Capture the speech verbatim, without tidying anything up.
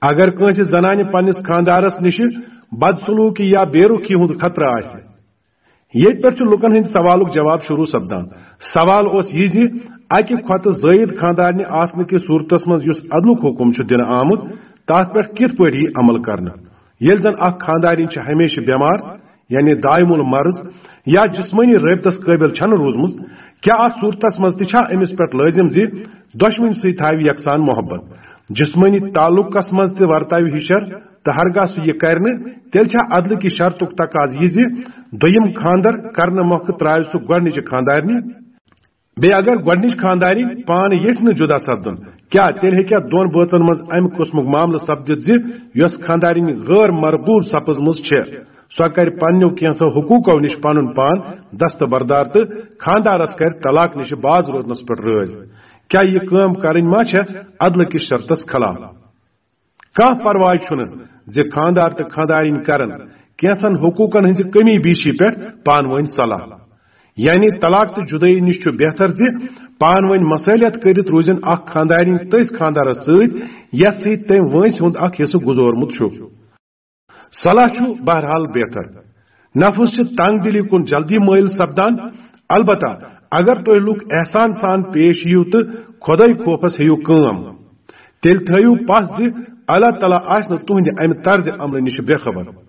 اگر کٲنٛسہِ زنانہِ پننِس خانٛدارس نِش بدسلوٗکی یا بے رُخی ہُنٛد خطرٕ آسہِ، ییٚتہِ پٮ۪ٹھ چھُ لُکن ہٕنٛدِ سوالُک جواب شروع سپدان۔ سوال اوس یہِ زِ اَکہِ کھۄتہٕ زٲیِد خانٛدارنہِ آسنہٕ کِس صوٗرتس منٛز یُس عدلُک حُکم چھُ دِنہٕ آمُت، تَتھ پٮ۪ٹھ کِتھ پٲٹھۍ یِیہِ عمل کرنہٕ؟ ییٚلہِ زن اکھ خانٛدارِنۍ چھِ ہمیشہِ بٮ۪مار، یعنی دائم المرض، یا جسمٲنی رٲبطس قٲبِل چھَنہٕ روٗزمٕژ، کیٛاہ اتھ صوٗرتس منٛز تہِ چھا أمِس پٮ۪ٹھ لٲزِم زِ دۄشوٕنۍ سۭتۍ تھاوِ یکسان محبت؟ جسمٲنی تعلقس منٛز تہِ ورتاوِ ہِشر، تہٕ ہرگاہ سُہ یہِ کرِ نہٕ، تیٚلہِ چھا عدلہٕ کہِ شرطُک تقاضہٕ یہِ زِ دوٚیِم خانٛدر کرنہٕ مۄکھٕ ترٛاوِ سُہ گۄڈٕنِچہِ خانٛدارنہِ؟ بیٚیہِ اگر گۄڈٕنِچ خانٛدارِنۍ پانہٕ یژھِ نہٕ جُدا سپدُن، کیٛاہ تیٚلہِ ہیٚکیٛاہ دۄن بٲژن منٛز امہِ قٕسمُک معاملہٕ سپدِتھ زِ یۄس خانٛدارِنۍ غٲر مرغوب سپٕزمٕژ چھےٚ، سۄ کرِ پننیو کینٛژو حقوٗقو نِش پنُن پان دستبردار تہٕ خانٛدارس کرِ طلاق نِش باز روزنس پٮ۪ٹھ رٲضۍ؟ کیٛاہ یہِ کٲم کرٕنۍ ما چھےٚ عدلہٕ کِس شرطس خلاف؟ کانٛہہ پرواے چھُنہٕ زِ خانٛدار تہٕ خانٛدارِنۍ کرن کینٛژن حقوٗقن ہٕنٛزِ کٔمی بیشی پٮ۪ٹھ پانہٕ وٲنۍ صلاح۔ یعنی طلاق تہٕ جُدٲیی نِش چھُ بہتر زِ پانہٕ وٲنۍ مصالحت کٔرِتھ روٗزِن اکھ خانٛدارِنۍ تٔتھۍ خانٛدارس سۭتۍ، یتھ سۭتۍ تٔمۍ وٲنٛسہِ ہُنٛد اکھ حصہٕ گُزورمُت چھُ۔ صلاح چھُ بہرحال بہتر۔ نفس چھِ تنگ دلی کُن جلدی مٲیِل سپدان۔ البتہ اگر تُہۍ لُکھ احسان سان پیش یِیِو تہٕ خۄداے خوفس ہیٚیِو کٲم، تیٚلہِ تھٲیِو پَژھ زِ اللہ تعالیٰ آسہِ نہٕ تُہنٛدِ امہِ طرزِ عملہٕ نِش بے خبر۔